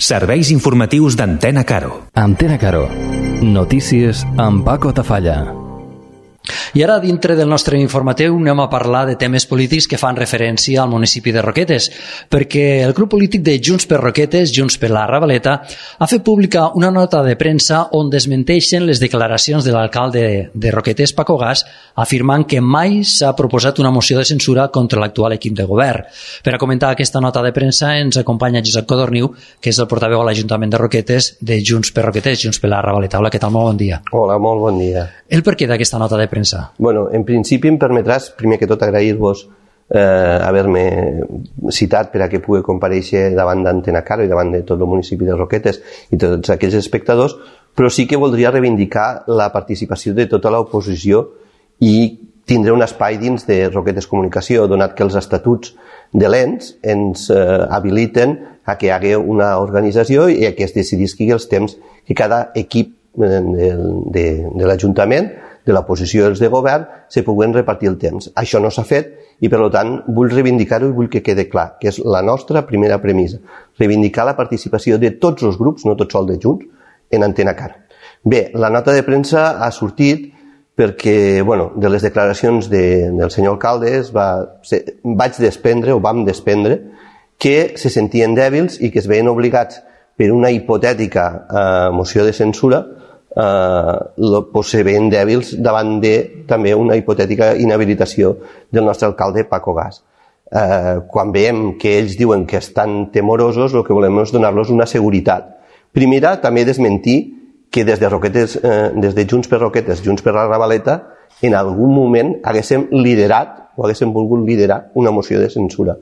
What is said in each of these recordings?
Serveis informatius d'Antena Caro. Antena Caro. Notícies amb Paco Tafalla. I ara, dintre del nostre informatiu, anem a parlar de temes polítics que fan referència al municipi de Roquetes, perquè el grup polític de Junts per Roquetes, Junts per la Ravaleta, ha fet pública una nota de premsa on desmenteixen les declaracions de l'alcalde de Roquetes, Paco Gas, afirmant que mai s'ha proposat una moció de censura contra l'actual equip de govern. Per a comentar aquesta nota de premsa ens acompanya Josep Codorniu, que és el portaveu a l'Ajuntament de Roquetes de Junts per Roquetes, Junts per la Ravaleta. Hola, què tal? Molt bon dia. Hola, molt bon dia. El per què d'aquesta nota de premsa? Bueno, en principi em permetràs, primer que tot, agrair-vos haver-me citat per a que pugui comparèixer davant d'Antena Caro i davant de tot el municipi de Roquetes i tots aquells espectadors, però sí que voldria reivindicar la participació de tota l'oposició i tindre un espai dins de Roquetes Comunicació, donat que els estatuts de l'ENS ens habiliten a que hi hagi una organització i a que es decidisqui els temps que cada equip de l'Ajuntament, de l'oposició i els de govern, se puguen repartir el temps. Això no s'ha fet i, per tant, vull reivindicar-ho i vull que quede clar, que és la nostra primera premissa. Reivindicar la participació de tots els grups, no tot sol de Junts, en Antena Caro. Bé, la nota de premsa ha sortit perquè, de les declaracions del senyor alcalde vam desprendre que se sentien dèbils i que es veien obligats per una hipotètica moció de censura se veien dèbils davant de també una hipotètica inhabilitació del nostre alcalde Paco Gas. Quan veiem que ells diuen que estan temorosos, el que volem és donar-los una seguretat. Primera, també desmentir que des de Junts per Roquetes, Junts per la Ravaleta, en algun moment haguéssim liderat o haguéssim volgut liderar una moció de censura.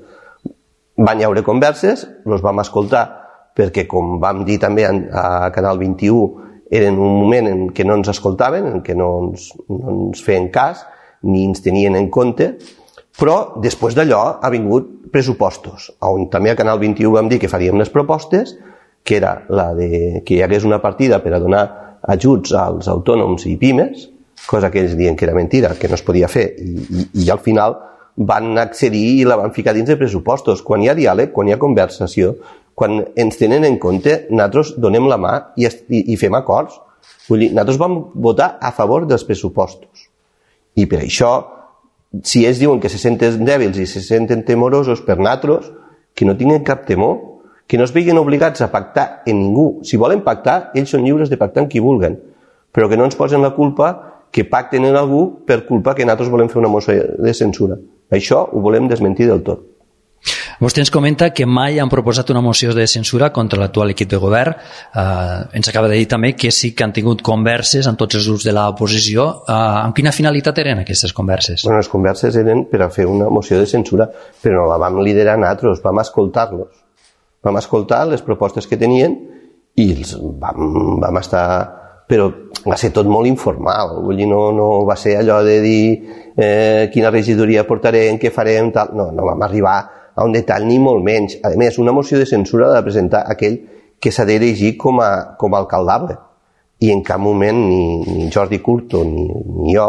Van haver converses, els vam escoltar, perquè, com vam dir també a Canal 21, era en un moment en què no ens escoltaven, en què no ens feien cas, ni ens tenien en compte, però després d'allò ha vingut pressupostos, on també a Canal 21 vam dir que faríem les propostes, que era la de que hi hagués una partida per a donar ajuts als autònoms i pimes, cosa que ells diuen que era mentira, que no es podia fer, i al final van accedir i la van ficar dins de pressupostos. Quan hi ha diàleg, quan hi ha conversació, quan ens tenen en compte, nosaltres donem la mà i fem acords. Vull dir, nosaltres vam votar a favor dels pressupostos. I per això, si ells diuen que se senten dèbils i se senten temorosos per nosaltres, que no tinguin cap temor, que no es vegin obligats a pactar en ningú. Si volen pactar, ells són lliures de pactar amb qui vulguen, però que no ens posen la culpa que pacten en algú per culpa que nosaltres volem fer una moció de censura. Això ho volem desmentir del tot. Vostè ens comenta que mai han proposat una moció de censura contra l'actual equip de govern. Ens acaba de dir també que sí que han tingut converses amb tots els grups de l'oposició. Amb quina finalitat eren aquestes converses? Les converses eren per a fer una moció de censura, però no la vam liderar nosaltres, vam escoltar-los. Vam escoltar les propostes que tenien i vam estar... Però va ser tot molt informal, vull dir, no va ser allò de dir quina regidoria portarem, què farem, tal. No vam arribar a un detall ni molt menys. A més, una moció de censura ha de presentar aquell que s'ha d'erigir com a alcaldable. I en cap moment ni Jordi Curto ni jo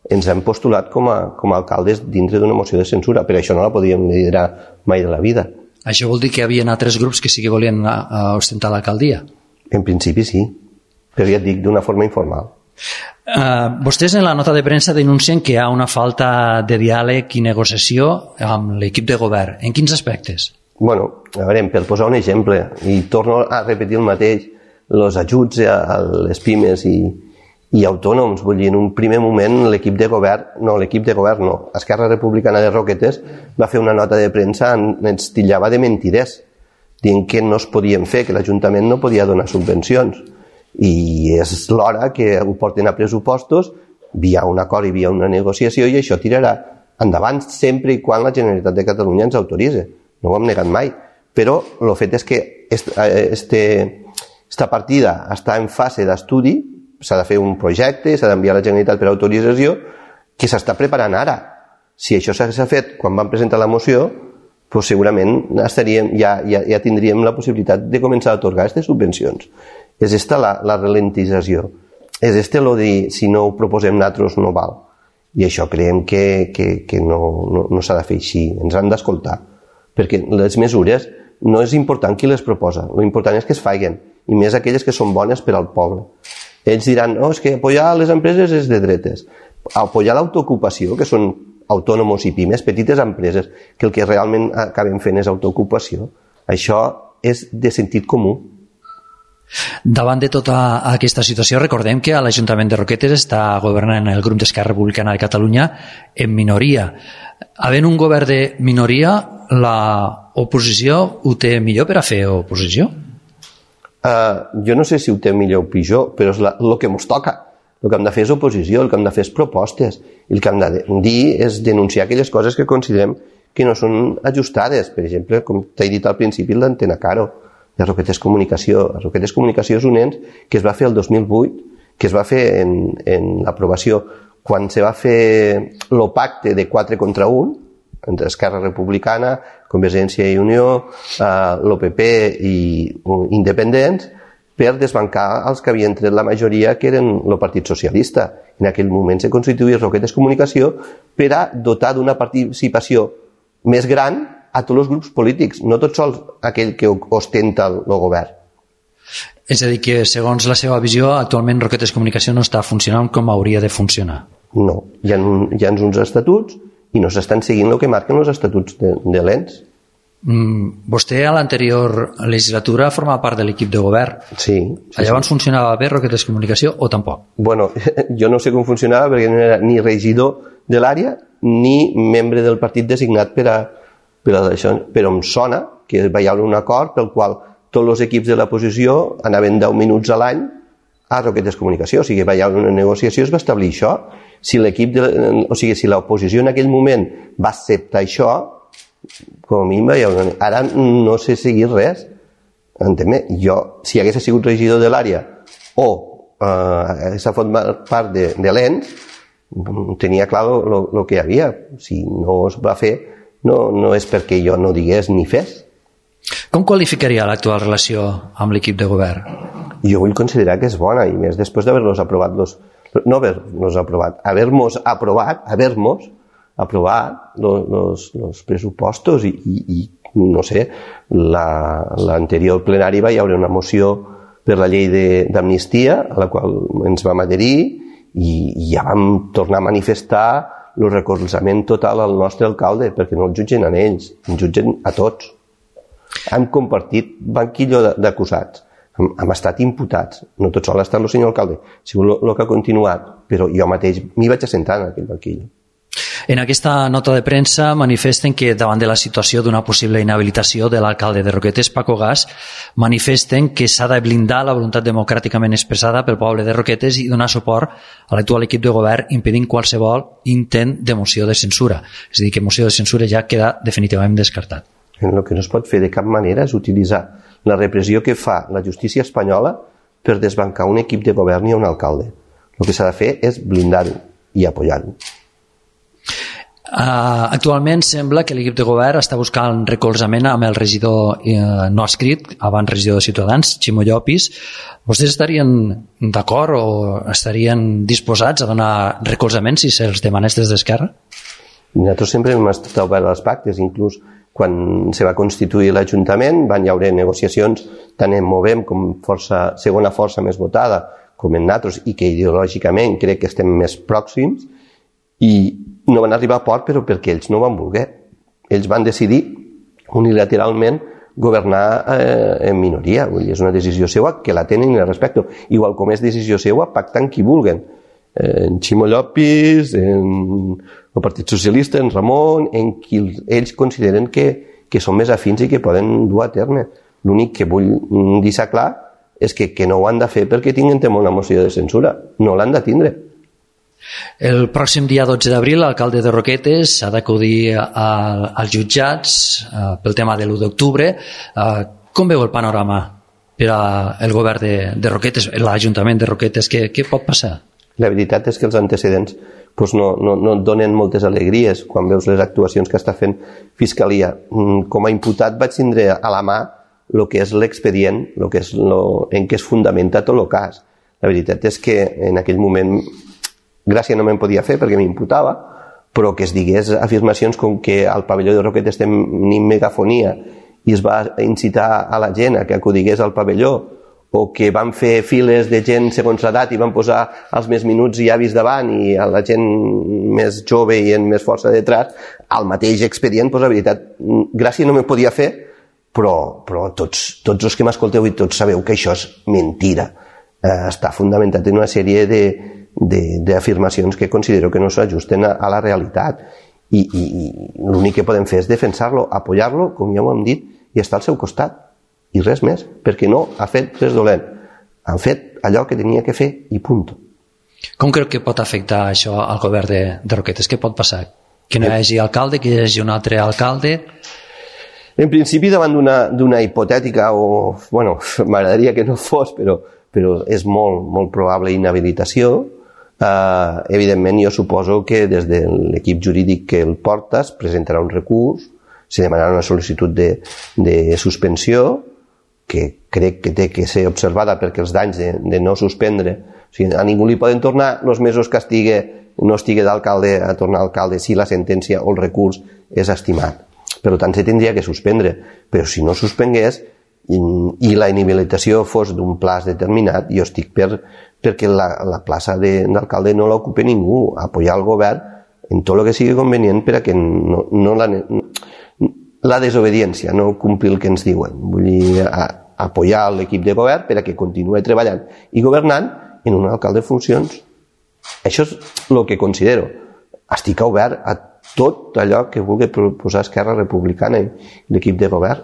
ens hem postulat com a alcaldes dintre d'una moció de censura. Per això no la podíem liderar mai de la vida. Això vol dir que hi havia altres grups que sí que volien ostentar l'alcaldia? En principi sí, però ja et dic, d'una forma informal. Vostès en la nota de premsa denuncien que hi ha una falta de diàleg i negociació amb l'equip de govern. En quins aspectes? Bueno, a veure, per posar un exemple, i torno a repetir el mateix, els ajuts a les pimes i autònoms, vull dir, en un primer moment l'equip de govern no, Esquerra Republicana de Roquetes va fer una nota de premsa on ens titllava de mentiders, dient que no es podien fer, que l'Ajuntament no podia donar subvencions. I és l'hora que ho porten a pressupostos via un acord i via una negociació i això tirarà endavant sempre i quan la Generalitat de Catalunya ens autoritzi. No ho hem negat mai. Però el fet és que esta partida està en fase d'estudi, s'ha de fer un projecte, s'ha d'enviar a la Generalitat per autorització, que s'està preparant ara. Si això s'ha fet quan vam presentar la moció, doncs segurament ja tindríem la possibilitat de començar a atorgar aquestes subvencions. És esta la ralentització. És el dir, si no ho proposem nosaltres no val. I això creiem que no s'ha de fer així. Ens han d'escoltar. Perquè les mesures no és important qui les proposa, l'important és que es facin, i més aquelles que són bones per al poble. Ells diran, no, és que apoyar les empreses és de dretes. Apoyar l'autoocupació, que són autònoms i pimes, petites empreses, que el que realment acabem fent és autoocupació, això és de sentit comú. Davant de tota aquesta situació, recordem que a l'Ajuntament de Roquetes està governant el grup d'Esquerra Republicana de Catalunya en minoria. Havent un govern de minoria, l'oposició ho té millor per a fer oposició? Jo no sé si ho té millor o pitjor, però és el que ens toca. El que hem de fer és oposició, el que hem de fer és propostes, i el que hem de dir és denunciar aquelles coses que considerem que no són ajustades. Per exemple, com t'he dit al principi, l'antena Caro de Roquetes Comunicació. Roquetes Comunicació és un ens que es va fer el 2008, que es va fer en l'aprovació quan se va fer el pacte de 4 contra 1 entre Esquerra Republicana, Convergència i Unió, l'OPP i Independents, per desbancar els que havien tret la majoria, que eren el Partit Socialista. En aquell moment se constituïa Roquetes Comunicació per a dotar d'una participació més gran a tots els grups polítics, no tot sols aquell que ostenta el govern. És a dir, que segons la seva visió, actualment Roquetes Comunicació no està funcionant com hauria de funcionar. No, hi ha uns estatuts i no s'estan seguint el que marquen els estatuts de l'ENS. Vostè a l'anterior legislatura formava part de l'equip de govern. Sí. Llavors funcionava bé Roquetes Comunicació o tampoc? Bueno, jo no sé com funcionava perquè no era ni regidor de l'àrea ni membre del partit designat per a això, però em sona que hi havia un acord pel qual tots els equips de l'oposició anaven 10 minuts a l'any a Roquetes Comunicació, o sigui, hi havia una negociació, es va establir això. Si l'oposició en aquell moment va acceptar això, com a mínim ara no sé seguir res. Entén-me? Jo, si hagués sigut regidor de l'àrea o hagués format part de l'ENS, tenia clar el que hi havia. Si no es va fer, no és perquè jo no digués ni fes. Com qualificaria l'actual relació amb l'equip de govern? Jo vull considerar que és bona, i més després d'haver-los aprovat haver-nos aprovat els pressupostos i no sé, l'anterior plenari va haver una moció per la llei d'amnistia a la qual ens vam adherir i ja vam tornar a manifestar el recolzament total al nostre alcalde perquè no el jutgen a ells, ens jutgen a tots. Hem compartit banquillo d'acusats, hem estat imputats, no tot sol ha estat el senyor alcalde, ha sigut el que ha continuat, però jo mateix m'hi vaig assentar en aquell banquillo. En aquesta nota de premsa manifesten que davant de la situació d'una possible inhabilitació de l'alcalde de Roquetes, Paco Gas, manifesten que s'ha de blindar la voluntat democràticament expressada pel poble de Roquetes i donar suport a l'actual equip de govern impedint qualsevol intent de moció de censura. És a dir, que moció de censura ja queda definitivament descartat. El que no es pot fer de cap manera és utilitzar la repressió que fa la justícia espanyola per desbancar un equip de govern i un alcalde. El que s'ha de fer és blindar-ho i apoyar-ho. Actualment sembla que l'equip de govern està buscant recolzament amb el regidor no escrit, abans regidor de Ciutadans, Ximo Llopis. Vostès estarien d'acord o estarien disposats a donar recolzament si se'ls demanés des d'Esquerra? Nosaltres sempre hem estat oberts als pactes, inclús quan se va constituir l'Ajuntament van haver negociacions tant en Movem com segona força més votada com en nosaltres i que ideològicament crec que estem més pròxims i no van arribar a port però perquè ells no van voler. Ells van decidir unilateralment governar en minoria. És una decisió seva que la tenen i la respecto. Igual com és decisió seva pactar amb qui vulguen. En Ximo Llopis, en el Partit Socialista, en Ramon, en qui ells consideren que són més afins i que poden dur a terme. L'únic que vull deixar clar és que no ho han de fer perquè tinguin temor a una moció de censura. No l'han de tindre. El pròxim dia 12 d'abril l'alcalde de Roquetes ha d'acudir als jutjats pel tema de l'1 d'octubre. Com veu el panorama per al govern de Roquetes, l'Ajuntament de Roquetes? Què pot passar? La veritat és que els antecedents no et donen moltes alegries quan veus les actuacions que està fent Fiscalia. Com a imputat vaig tindre a la mà el que és l'expedient, en què es fundamenta tot el cas. La veritat és que en aquell moment gràcia no me'n podia fer perquè m'imputava, però que es digués afirmacions com que al pavelló de Roquetes tenim megafonia i es va incitar a la gent a que acudigués al pavelló, o que van fer files de gent segons l'edat i van posar els més minuts i avis davant i a la gent més jove i amb més força detrás, al mateix expedient, doncs la veritat, gràcia no me podia fer, però tots els que m'escolteu i tots sabeu que això és mentira. Està fundamentat en una sèrie d'afirmacions que considero que no s'ajusten a la realitat i l'únic que podem fer és defensar-lo, apoyar-lo, com ja ho hem dit, i estar al seu costat, i res més, perquè no ha fet res dolent, han fet allò que tenia que fer i punt. Com creu que pot afectar això al govern de Roquetes? Què pot passar? Que no hi hagi alcalde, que hi hagi un altre alcalde? En principi, davant d'una hipotètica, o bueno, m'agradaria que no fos, però és molt probable inhabilitació, evidentment jo suposo que des de l'equip jurídic que el porta es presentarà un recurs, se demanarà una sol·licitud de suspensió, que crec que té que ser observada perquè els danys de no suspendre, o sigui, a ningú li poden tornar els mesos que no estigui d'alcalde a tornar a alcalde si la sentència o el recurs és estimat. Per tant, se tindria que suspendre, però si no suspengués i la inhabilitació fos d'un plaç determinat, jo estic perquè la plaça d'alcalde no l'ocupe ningú, apoyar el govern en tot el que sigui convenient per a que no la desobediència, no complir el que ens diuen. Vull dir, apoyar l'equip de govern per a que continuï treballant i governant en un alcalde de funcions. Això és el que considero. Estic obert a tot allò que vulgui proposar Esquerra Republicana i l'equip de govern.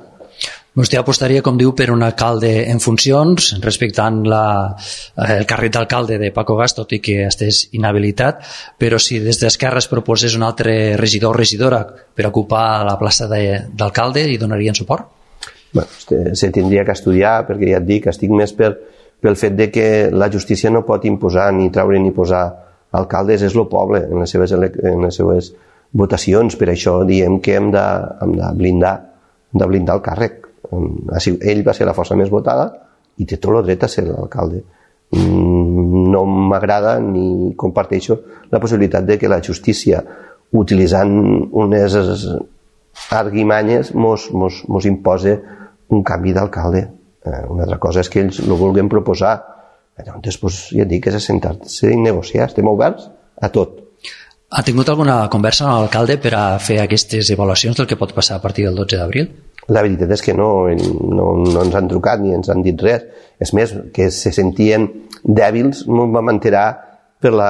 Vostè apostaria, com diu, per un alcalde en funcions, respectant el càrrec d'alcalde de Paco Gas, tot i que estés inhabilitat, però si des d'Esquerra es proposés un altre regidor o regidora per ocupar la plaça d'alcalde, hi donarien suport? Bueno, se tindria que estudiar, perquè ja et dic, estic més pel fet de que la justícia no pot imposar ni treure ni posar alcaldes, és el poble en les seves votacions, per això diem que hem de blindar el càrrec. Ell va ser la força més votada i té tot el dret a ser l'alcalde. No m'agrada ni comparteixo la possibilitat de que la justícia, utilitzant unes arguimanyes, mos impose un canvi d'alcalde. Una altra cosa és que ells ho vulguin proposar. Llavors, ja et dic, és assentar-se i negociar. Estem oberts a tot. Ha tingut alguna conversa amb l'alcalde per a fer aquestes avaluacions del que pot passar a partir del 12 d'abril? La veritat és que no ens han trucat ni ens han dit res. És més, que se sentien dèbils, m'ho vam enterar pel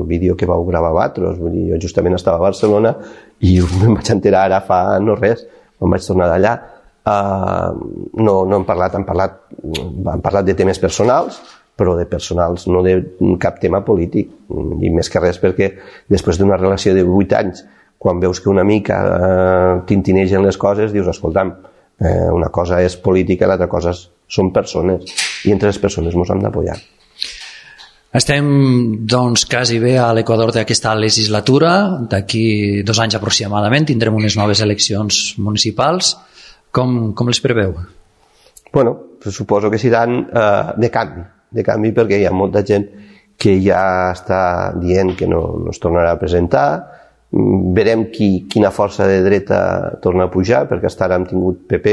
vídeo que vau gravar vosaltres. Vull dir, jo justament estava a Barcelona i me'n vaig enterar ara fa no res, me'n vaig tornar d'allà. No hem parlat, han parlat de temes personals, però de personals, no de cap tema polític, i més que res perquè després d'una relació de 8 anys, quan veus que una mica tintinegen les coses, dius, escolta'm, una cosa és política i l'altra cosa són persones, i entre les persones ens hem d'apoyar. Estem, doncs, quasi bé a l'equador d'aquesta legislatura. D'aquí 2 anys aproximadament tindrem unes noves eleccions municipals. Com les preveu? Bueno, suposo que seran de canvi, perquè hi ha molta gent que ja està dient que no es tornarà a presentar. Verem quina força de dreta torna a pujar, perquè fins ara hem tingut PP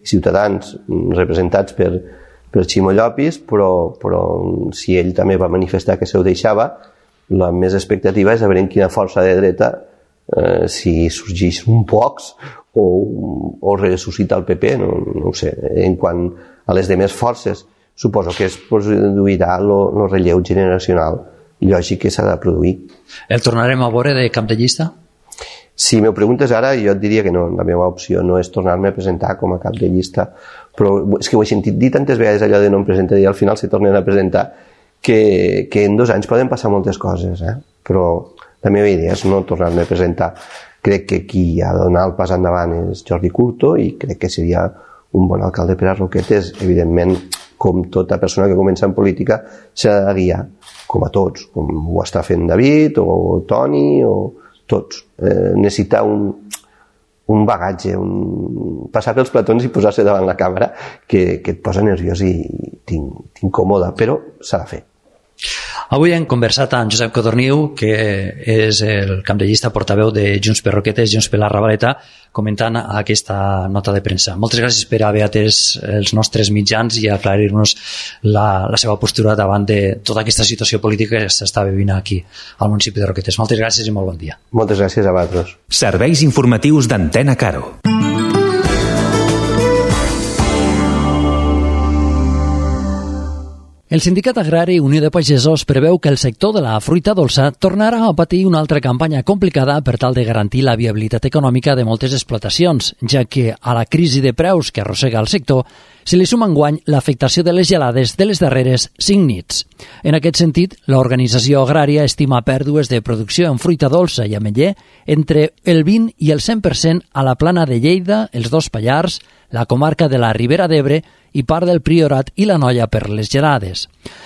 i Ciutadans representats per Ximo Llopis, però si ell també va manifestar que se ho deixava, la més expectativa és a veure quina força de dreta, si sorgeix un Vox o ressuscita el PP, no ho sé. En quant a les demés forces, suposo que es produirà el relleu generacional lògic que s'ha de produir. El tornarem a veure de cap de llista? Si m'ho preguntes ara, jo et diria que no. La meva opció no és tornar-me a presentar com a cap de llista, però és que ho he sentit dir tantes vegades, allò de no em presentar i al final se tornen a presentar, que en 2 anys poden passar moltes coses, però la meva idea és no tornar-me a presentar. Crec que qui ha de donar el pas endavant és Jordi Curto i crec que seria un bon alcalde per a Roquetes. Evidentment, com tota persona que comença en política, s'ha de guiar, com a tots, com ho està fent David o Toni o tots. Necessita un bagatge, passar pels platons i posar-se davant la càmera que et posa nerviós i t'incòmoda, però s'ha de fer. Avui hem conversat amb Josep Codorniu, que és el cap de llista portaveu de Junts per Roquetes, Junts per la Ravaleta, comentant aquesta nota de premsa. Moltes gràcies per haver atès els nostres mitjans i aclarir-nos la seva postura davant de tota aquesta situació política que s'està vivint aquí, al municipi de Roquetes. Moltes gràcies i molt bon dia. Moltes gràcies a vosaltres. Serveis informatius d'Antena Caro. El Sindicat Agrari Unió de Pagesos preveu que el sector de la fruita dolça tornarà a patir una altra campanya complicada per tal de garantir la viabilitat econòmica de moltes explotacions, ja que a la crisi de preus que arrossega el sector se li suma enguany l'afectació de les gelades de les darreres 5 nits. En aquest sentit, l'organització agrària estima pèrdues de producció en fruita dolça i ametller entre el 20 i el 100% a la Plana de Lleida, els dos Pallars, la comarca de la Ribera d'Ebre i part del Priorat i la Noia per les gelades.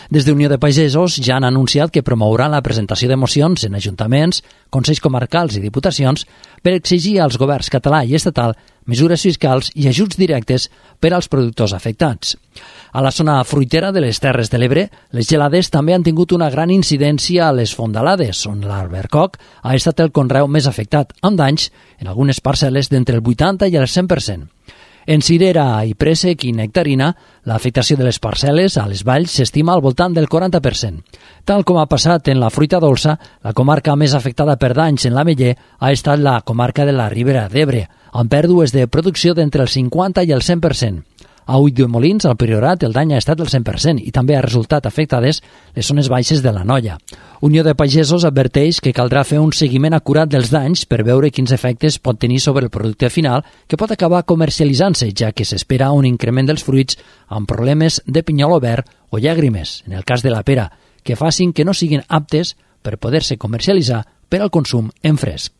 Des de Unió de Pagesos ja han anunciat que promouran la presentació de mocions en ajuntaments, consells comarcals i diputacions per exigir als governs català i estatal mesures fiscals i ajuts directes per als productors afectats. A la zona fruitera de les Terres de l'Ebre, les gelades també han tingut una gran incidència a les fondalades, on l'albercoc ha estat el conreu més afectat, amb danys en algunes parcel·les d'entre el 80 i el 100%. En cirera i préssec i nectarina, l'afectació de les parcel·les a les valls s'estima al voltant del 40%. Tal com ha passat en la fruita dolça, la comarca més afectada per danys en l'ametller ha estat la comarca de la Ribera d'Ebre, amb pèrdues de producció d'entre el 50 i el 100%. A Ulldemolins, al Priorat, el dany ha estat del 100% i també ha resultat afectades les zones baixes de la Noia. Unió de Pagesos adverteix que caldrà fer un seguiment acurat dels danys per veure quins efectes pot tenir sobre el producte final, que pot acabar comercialitzant-se, ja que s'espera un increment dels fruits amb problemes de pinyol obert o llàgrimes, en el cas de la pera, que facin que no siguin aptes per poder-se comercialitzar per al consum en fresc.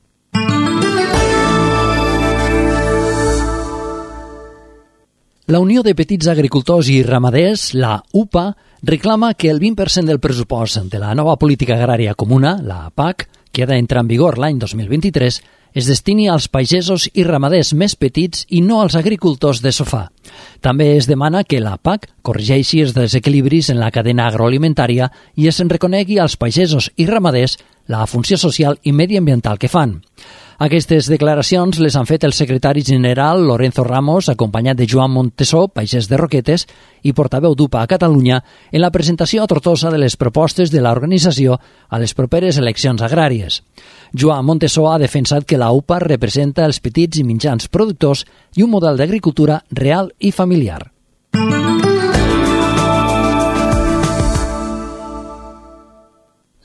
La Unió de Petits Agricultors i Ramaders, la UPA, reclama que el 20% del pressupost de la nova política agrària comuna, la PAC, que ha d'entrar en vigor l'any 2023, es destini als pagesos i ramaders més petits i no als agricultors de sofà. També es demana que la PAC corregeixi els desequilibris en la cadena agroalimentària i es reconegui als pagesos i ramaders la funció social i mediambiental que fan. Aquestes declaracions les han fet el secretari general Lorenzo Ramos, acompanyat de Joan Montesó, pagès de Roquetes i portaveu d'UPA a Catalunya, en la presentació a Tortosa de les propostes de l'organització a les properes eleccions agràries. Joan Montesó ha defensat que la UPA representa els petits i mitjans productors i un model d'agricultura real i familiar.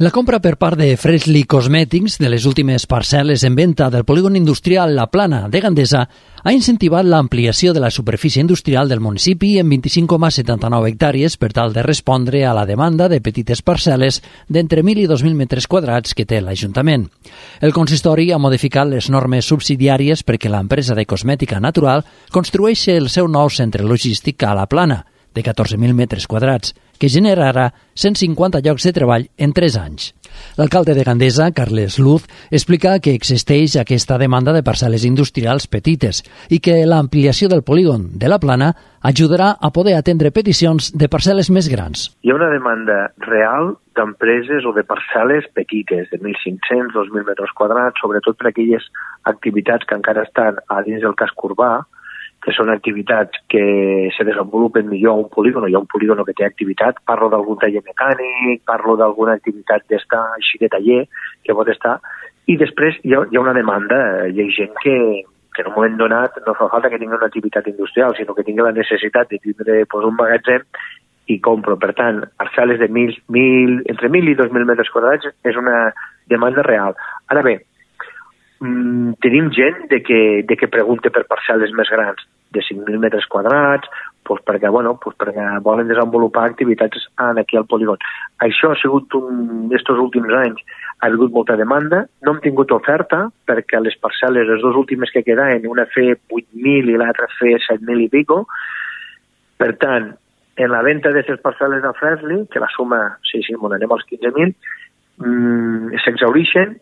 La compra per part de Freshly Cosmetics de les últimes parcel·les en venda del polígon industrial La Plana de Gandesa ha incentivat l'ampliació de la superfície industrial del municipi en 25,79 hectàrees per tal de respondre a la demanda de petites parcel·les d'entre 1.000 i 2.000 metres quadrats que té l'Ajuntament. El consistori ha modificat les normes subsidiàries perquè l'empresa de cosmètica natural construeixi el seu nou centre logístic a La Plana, de 14.000 metres quadrats, que generarà 150 llocs de treball en 3 anys. L'alcalde de Gandesa, Carles Luz, explica que existeix aquesta demanda de parcel·les industrials petites i que l'ampliació del polígon de La Plana ajudarà a poder atendre peticions de parcel·les més grans. Hi ha una demanda real d'empreses o de parcel·les petites, de 1.500, 2.000 metres quadrats, sobretot per aquelles activitats que encara estan a dins del casc urbà, que són activitats que se desenvolupen millor a un polígon, hi ha un polígon que té activitat, parlo d'algun taller mecànic, parlo d'alguna activitat d'estar així de taller, que pot estar, i després hi ha una demanda, hi ha gent que en un moment donat no fa falta que tingui una activitat industrial, sinó que tingui la necessitat de tindre un magatzem i compro. Per tant, parcel·les de entre 1.000 i 2.000 metres quadrats és una demanda real. Ara bé, tenim gent que pregunta per parcel·les més grans, de 5.000 metres quadrats, perquè volen desenvolupar activitats aquí al polígon. Això ha sigut, estos últims anys, ha hagut molta demanda, no hem tingut oferta, perquè les parcel·les, les dues últimes que quedaven, una fer 8.000 i l'altra fer 7.000 i pico. Per tant, en la venda d'aquestes parcel·les de Freshly, que la suma, anem als 15.000, s'exhaureixen.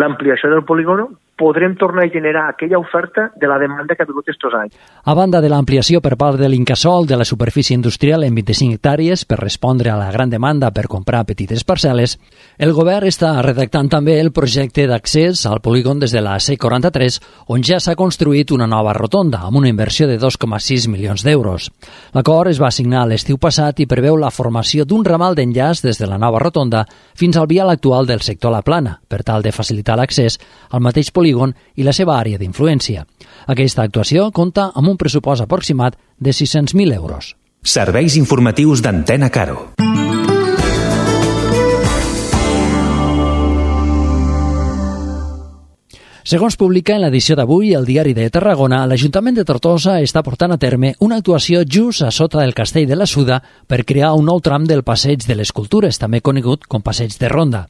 L'ampliació del polígon podrem tornar a generar aquella oferta de la demanda que ha vingut estos anys. A banda de l'ampliació per part de l'Incasòl de la superfície industrial en 25 hectàrees per respondre a la gran demanda per comprar petites parcel·les, el govern està redactant també el projecte d'accés al polígon des de la C43, on ja s'ha construït una nova rotonda, amb una inversió de 2,6 milions d'euros. L'acord es va signar l'estiu passat i preveu la formació d'un ramal d'enllaç des de la nova rotonda fins al vial actual del sector La Plana, per tal de facilitar l'accés al mateix polígon i la seva àrea d'influència. Aquesta actuació compta amb un pressupost aproximat de 600.000 euros. Serveis informatius d'Antena Caro. Segons publica en l'edició d'avui el Diari de Tarragona, l'Ajuntament de Tortosa està portant a terme una actuació just a sota del Castell de la Suda per crear un nou tram del Passeig de les Cultures, també conegut com Passeig de Ronda.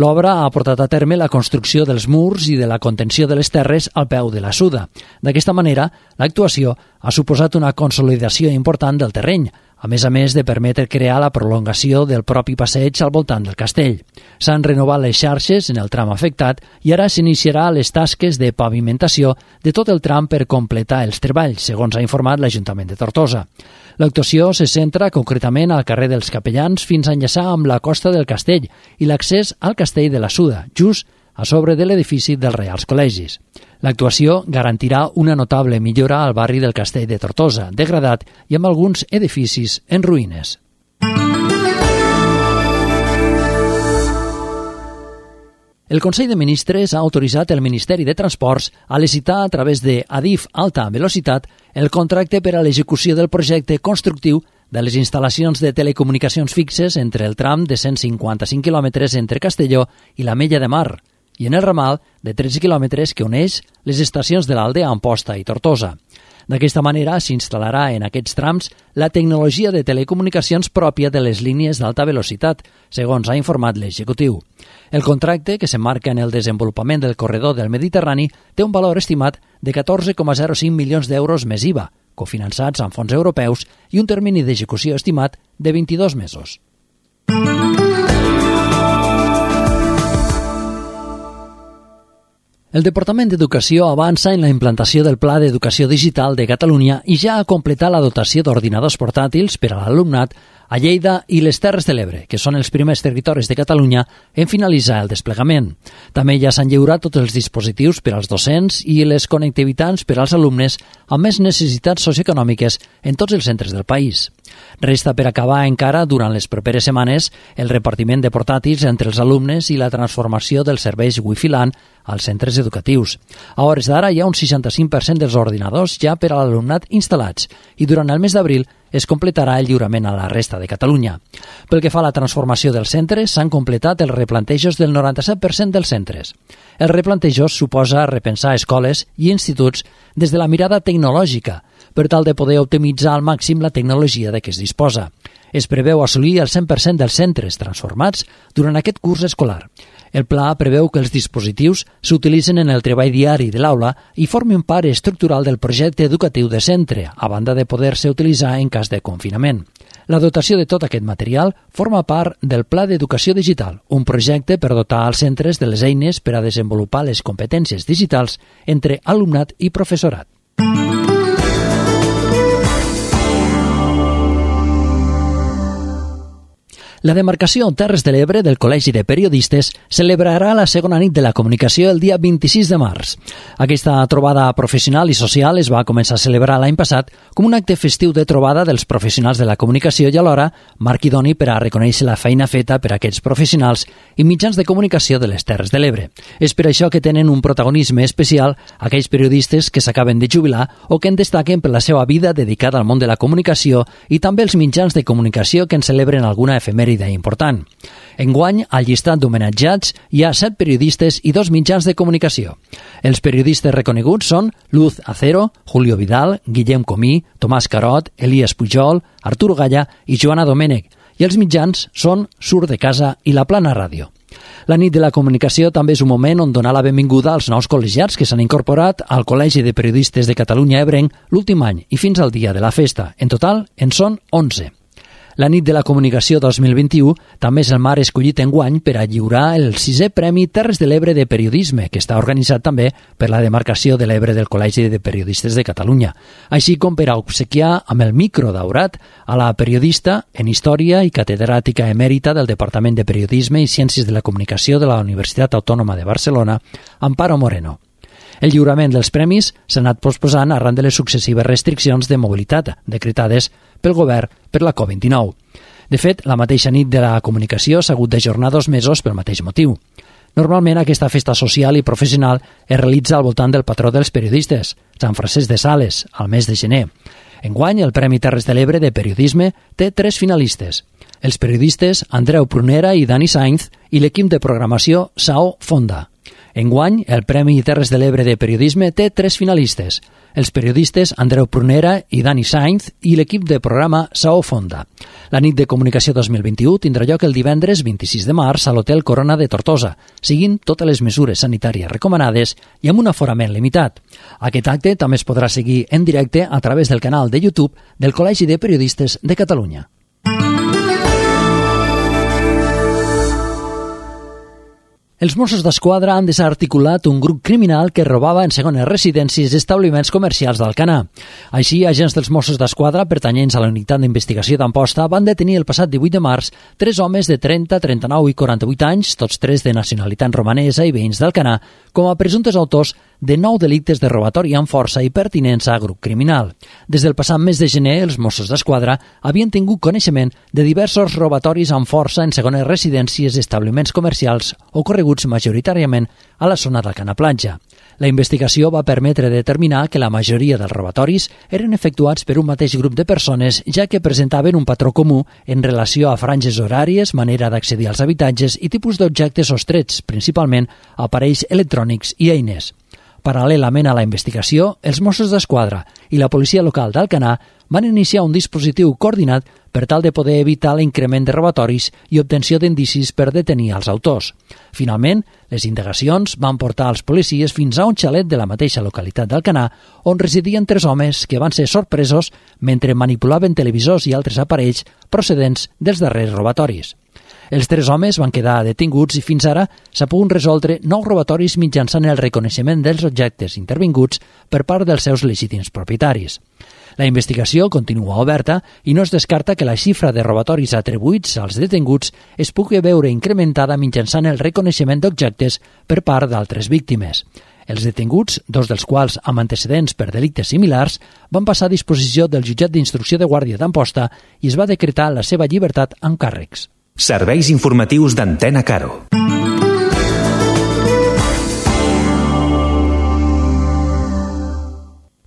L'obra ha portat a terme la construcció dels murs i de la contenció de les terres al peu de la Suda. D'aquesta manera, l'actuació ha suposat una consolidació important del terreny, a més de permetre crear la prolongació del propi passeig al voltant del castell. S'han renovat les xarxes en el tram afectat i ara s'iniciarà les tasques de pavimentació de tot el tram per completar els treballs, segons ha informat l'Ajuntament de Tortosa. L'actuació se centra concretament al carrer dels Capellans fins a enllaçar amb la costa del castell i l'accés al castell de la Suda, just a sobre de l'edifici dels Reials Col·legis. L'actuació garantirà una notable millora al barri del Castell de Tortosa, degradat i amb alguns edificis en ruïnes. El Consell de Ministres ha autoritzat el Ministeri de Transports a licitar a través de Adif Alta Velocitat el contracte per a l'execució del projecte constructiu de les instal·lacions de telecomunicacions fixes entre el tram de 155 quilòmetres entre Castelló i l'Ametlla de Mar, i en el ramal de 13 quilòmetres que uneix les estacions de l'Alde a Amposta i Tortosa. D'aquesta manera s'instal·larà en aquests trams la tecnologia de telecomunicacions pròpia de les línies d'alta velocitat, segons ha informat l'executiu. El contracte, que s'emmarca en el desenvolupament del corredor del Mediterrani, té un valor estimat de 14,05 milions d'euros més IVA, cofinançats amb fons europeus, i un termini d'execució estimat de 22 mesos. El Departament d'Educació avança en la implantació del Pla d'Educació Digital de Catalunya i ja ha completat la dotació d'ordinadors portàtils per a l'alumnat a Lleida i les Terres de l'Ebre, que són els primers territoris de Catalunya en finalitzar el desplegament. També ja s'han lliurat tots els dispositius per als docents i les connectivitats per als alumnes amb més necessitats socioeconòmiques en tots els centres del país. Resta per acabar encara durant les properes setmanes el repartiment de portàtils entre els alumnes i la transformació dels serveis Wi-Fi LAN als centres educatius. A hores d'ara hi ha un 65% dels ordinadors ja per a l'alumnat instal·lats i durant el mes d'abril es completarà el lliurament a la resta de Catalunya. Pel que fa a la transformació dels centres, s'han completat els replantejos del 97% dels centres. Els replantejos suposa repensar escoles i instituts des de la mirada tecnològica, per tal de poder optimitzar al màxim la tecnologia de què es disposa. Es preveu assolir el 100% dels centres transformats durant aquest curs escolar. El pla preveu que els dispositius s'utilitzen en el treball diari de l'aula i formin part estructural del projecte educatiu de centre, a banda de poder-se utilitzar en cas de confinament. La dotació de tot aquest material forma part del Pla d'Educació Digital, un projecte per dotar als centres de les eines per a desenvolupar les competències digitals entre alumnat i professorat. La demarcació Terres de l'Ebre del Col·legi de Periodistes celebrarà la segona nit de la comunicació el dia 26 de març. Aquesta trobada professional i social es va començar a celebrar l'any passat com un acte festiu de trobada dels professionals de la comunicació i alhora marc idoni per a reconèixer la feina feta per aquests professionals i mitjans de comunicació de les Terres de l'Ebre. És per això que tenen un protagonisme especial aquells periodistes que s'acaben de jubilar o que en destaquen per la seva vida dedicada al món de la comunicació i també els mitjans de comunicació que en celebren alguna efemèride important. Enguany, al llistat d'homenatjats hi ha 7 periodistes i 2 mitjans de comunicació. Els periodistes reconeguts són Luz Acero, Julio Vidal, Guillem Comí, Tomàs Carot, Elias Pujol, Arturo Galla i Joana Domènech, i els mitjans són Sur de Casa i La Plana Ràdio. La nit de la comunicació també és un moment on donar la benvinguda als nous col·legiats que s'han incorporat al Col·legi de Periodistes de Catalunya Ebrenc l'últim any i fins al dia de la festa. En total, en són 11. La nit de la comunicació 2021 també és el mar escollit enguany per a lliurar el 6è Premi Terres de l'Ebre de Periodisme, que està organitzat també per la demarcació de l'Ebre del Col·legi de Periodistes de Catalunya, així com per a obsequiar amb el micro daurat a la periodista en Història i catedràtica emèrita del Departament de Periodisme i Ciències de la Comunicació de la Universitat Autònoma de Barcelona, Amparo Moreno. El lliurament dels premis s'ha anat posposant arran de les successives restriccions de mobilitat decretades pel govern per la Covid-19. De fet, la mateixa nit de la comunicació s'ha hagut d'ajornar 2 mesos pel mateix motiu. Normalment aquesta festa social i professional es realitza al voltant del patró dels periodistes, Sant Francesc de Sales, al mes de gener. Enguany, el Premi Terres de l'Ebre de Periodisme té 3 finalistes. Els periodistes Andreu Prunera i Dani Sainz i l'equip de programació Sao Fonda. Enguany, el Premi Terres de l'Ebre de Periodisme té 3 finalistes, els periodistes Andreu Prunera i Dani Sainz i l'equip de programa Sao Fonda. La nit de comunicació 2021 tindrà lloc el divendres 26 de març a l'Hotel Corona de Tortosa, seguint totes les mesures sanitàries recomanades i amb un aforament limitat. Aquest acte també es podrà seguir en directe a través del canal de YouTube del Col·legi de Periodistes de Catalunya. Els Mossos d'Esquadra han desarticulat un grup criminal que robava en segones residències i establiments comercials d'Alcanar. Així, agents dels Mossos d'Esquadra pertanyents a la unitat d'investigació d'Amposta van detenir el passat 18 de març 3 homes de 30, 39 i 48 anys, tots 3 de nacionalitat romanesa i veïns d'Alcanar, com a presumptes autors de 9 delictes de robatori amb força i pertinença a grup criminal. Des del passat mes de gener, els Mossos d'Esquadra havien tingut coneixement de diversos robatoris amb força en segones residències i establiments comercials ocorreguts majoritàriament a la zona d'Alcanar Platja. La investigació va permetre determinar que la majoria dels robatoris eren efectuats per un mateix grup de persones, ja que presentaven un patró comú en relació a franges horàries, manera d'accedir als habitatges i tipus d'objectes sostrets, principalment aparells electrònics i eines. Paral·lelament a la investigació, els Mossos d'Esquadra i la policia local d'Alcanar van iniciar un dispositiu coordinat per tal de poder evitar l'increment de robatoris i obtenció d'indicis per detenir els autors. Finalment, les indagacions van portar els policies fins a un xalet de la mateixa localitat d'Alcanar, on residien 3 homes que van ser sorpresos mentre manipulaven televisors i altres aparells procedents dels darrers robatoris. Els 3 homes van quedar detinguts i fins ara s'ha pogut resoldre 9 robatoris mitjançant el reconeixement dels objectes intervinguts per part dels seus legítims propietaris. La investigació continua oberta i no es descarta que la xifra de robatoris atribuïts als detinguts es pugui veure incrementada mitjançant el reconeixement d'objectes per part d'altres víctimes. Els detinguts, 2 dels quals amb antecedents per delictes similars, van passar a disposició del jutjat d'instrucció de Guàrdia d'Amposta i es va decretar la seva llibertat amb càrrecs. Serveis informatius d'Antena Caro.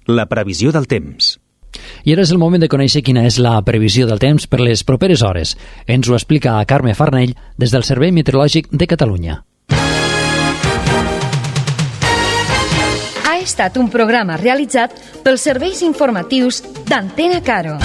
La previsió del temps. I ara és el moment de conèixer quina és la previsió del temps per les properes hores. Ens ho explica Carme Farnell des del Servei Meteorològic de Catalunya. Ha estat un programa realitzat pels serveis informatius d'Antena Caro.